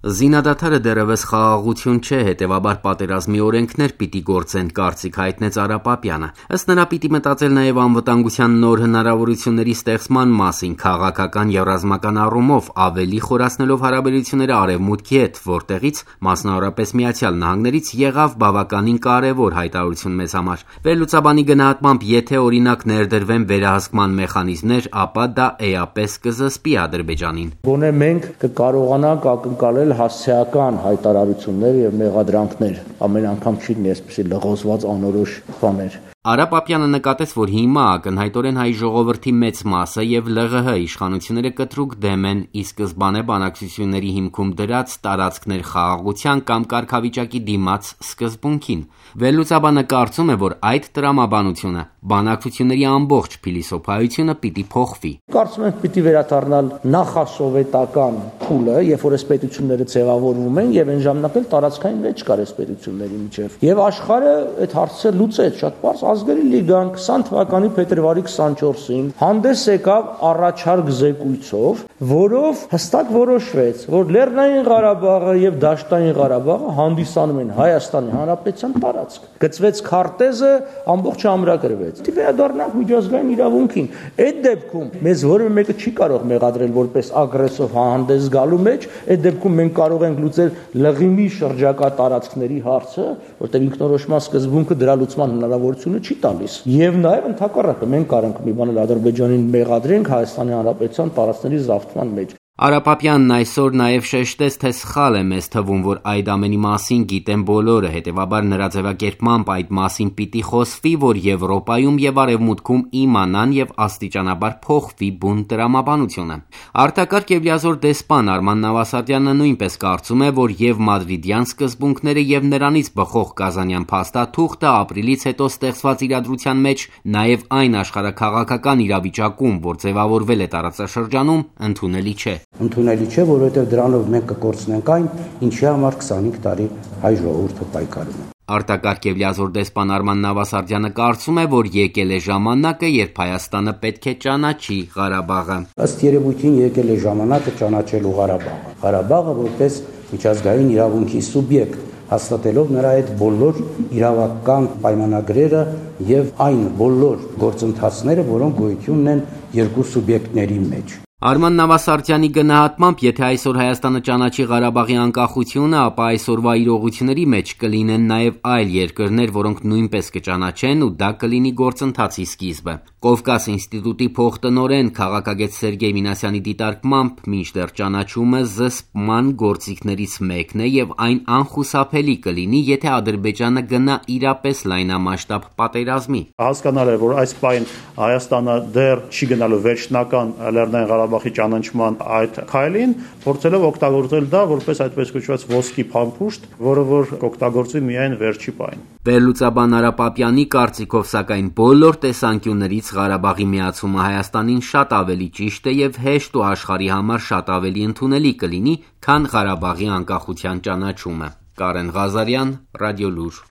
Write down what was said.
Զինադադարը դեռևս խաղաղություն չէ, հետևաբար պատերազմի օրենքներ պիտի գործեն, կարծիք հայտնեց Արա Պապյանը։ Ըստ նրա պիտի մտածել նաև անվտանգության նոր հնարավորությունների ստեղծման մասին, քաղաքական եւ ռազմական առումով ավելի խորացնելով հարաբերությունները Արևմուտքի հետ, որտեղից մասնավորապես Միացյալ Նահանգներից եղավ բավականին կարևոր հայտարարություն մեզ համար։ Վերլուծաբանի գնահատմամբ, եթե օրինակ ներդրվեն վերահսկման մեխանիզմներ, ապա դա էապես կզսպի Ադրբեջանին։ Գոնե մենք կկարողանանք ակնկալել հասցեական հայտարարություններ եւ մեղադրանքներ, ամեն անգամ չի լինի այսպեսի լղոզված անորոշ բաներ։ Արա Պապյանը նկատեց, որ հիմա ակնհայտորեն հայ ժողովրդի մեծ մասը եւ ԼՂՀ իշխանությունները կտրուկ դեմ են ի սկզբանե բանակցությունների հիմքում դրած տարածքներ խաղաղության կամ կարգավիճակի դիմաց սկզբունքին։ Վերլուծաբանը կարծում է, որ այդ տրամաբանությունը բանակցությունների ամբողջ փիլիսոփայությունը պիտի փոխվի։ Կարծում եմ պիտի վերադառնալ նախասովետական փուլը, երբ որ այս պետությունները ձևավորվում են եւ այն ժամանակ էլ տարածքային մեջ կար այս պետությունների միջև։ Եվ աշխարհը այդ հարցը լուծեց շատ բարձ Ազգերի լիգան 20 թվականի փետրվարի 24-ին հանդես եկավ առաջարկ զեկույցով, որով հստակ որոշվեց, որ Լեռնային Ղարաբաղը եւ Դաշտային Ղարաբաղը հանդիսանում են Հայաստանի Հանրապետության տարածք։ Գծվեց քարտեզը, ամբողջ ամրագրվեց։ Դի վերադառնանք միջազգային իրավունքին։ Այդ դեպքում մեզ որևէ մեկը չի կարող մեղադրել որպես ագրեսոր հանդես գալու մեջ, այդ դեպքում մենք կարող ենք լուծել լղիմի շրջակա տարածքների հարցը, որտեղ ինքնորոշման սկզբունքը դրա լուծման հնարավորությունը չի տալիս։ Եվ նաև ընդհակառակը մենք կարանք մի բան Ադրբեջանին մեղադրենք Հայաստանի Հանրապետության տարածքների զավթման մեջ։ Արա Պապյանն այսօր նաև շեշտեց, թե սխալ է մեզ թվում, որ այդ ամենի մասին գիտեն բոլորը, հետևաբար նրա ձևակերպմամբ այդ մասին պիտի խոսվի, որ Եվրոպայում եւ Արևմուտքում իմանան եւ աստիճանաբար փոխվի բուն տրամաբանությունը։ Արտակարգ եւ լիազոր դեսպան Արման Նավասարդյանը նույնպես կարծում է, որ եւ մադրիդյան սկզբունքները եւ նրանից բխող Կազանյան փաստաթուղթը ապրիլից հետո ստեղծված իրադրության մեջ, նաեւ այն աշխարհաքաղաքական իրավիճակում, որ ձևավորվել է տարածաշրջանում, ընդունելի չէ։ Ընդունելի չէ, որովհետև դրանով մենք կկորցնենք այն, ինչի համար 25 տարի հայ ժողովուրդը պայքարում է։ Արտակարգ եւ լիազոր դեսպան Արման Նավասարդյանը կարծում է, որ եկել է ժամանակը, երբ Հայաստանը պետք է ճանաչի Ղարաբաղը։ Ըստ երևույթին եկել է ժամանակը ճանաչելու Ղարաբաղը։ Ղարաբաղը որպես միջազգային իրավունքի սուբյեկտ, հաստատելով նրա այդ բոլոր իրավական պայմանագրերը եւ այն բոլոր գործընթացները, որոնք գոյություն ունեն երկու սուբյեկտների մեջ։ Արման Նավասարդյանի գնահատմամբ, եթե այսօր Հայաստանը ճանաչի Ղարաբաղի անկախությունը, ապա այսօրվա իրողությունների մեջ կլինեն նաև այլ երկրներ, որոնք նույնպես կճանաչեն, ու դա կլինի գործընթացի սկիզբը։ Կովկաս ինստիտուտի փոխտնօրեն քաղաքագետ Սերգեյ Մինասյանի դիտարկմամբ, մինչդեռ ճանաչումը զսպման գործիքներից մեկն է եւ այն անխուսափելի կլինի, եթե Ադրբեջանը գնա իրապես լայնամասշտաբ պատերազմի։ Հասկանալ է, որ այս պայն Հայաստանը դեռ չի գնալու վերջնական Լեռնային Ղարաբաղի ճանաչման այդ քայլին, փորձելով օգտագործել դա որպես այդպես կոչված ոսկի փամփուշտ, որը որ կօգտագործվի միայն վերջի պայն։ Վերլուծաբան Արա Պապյանի կարծիքով, սակայն բոլոր տեսանկյուններից Ղարաբաղի միացումը Հայաստանին շատ ավելի ճիշտ է եւ հեշտ ու աշխարհի համար շատ ավելի ընդունելի կլինի, քան Ղարաբաղի անկախության ճանաչումը։ Կարեն Ղազարյան, Ռադիոլուր։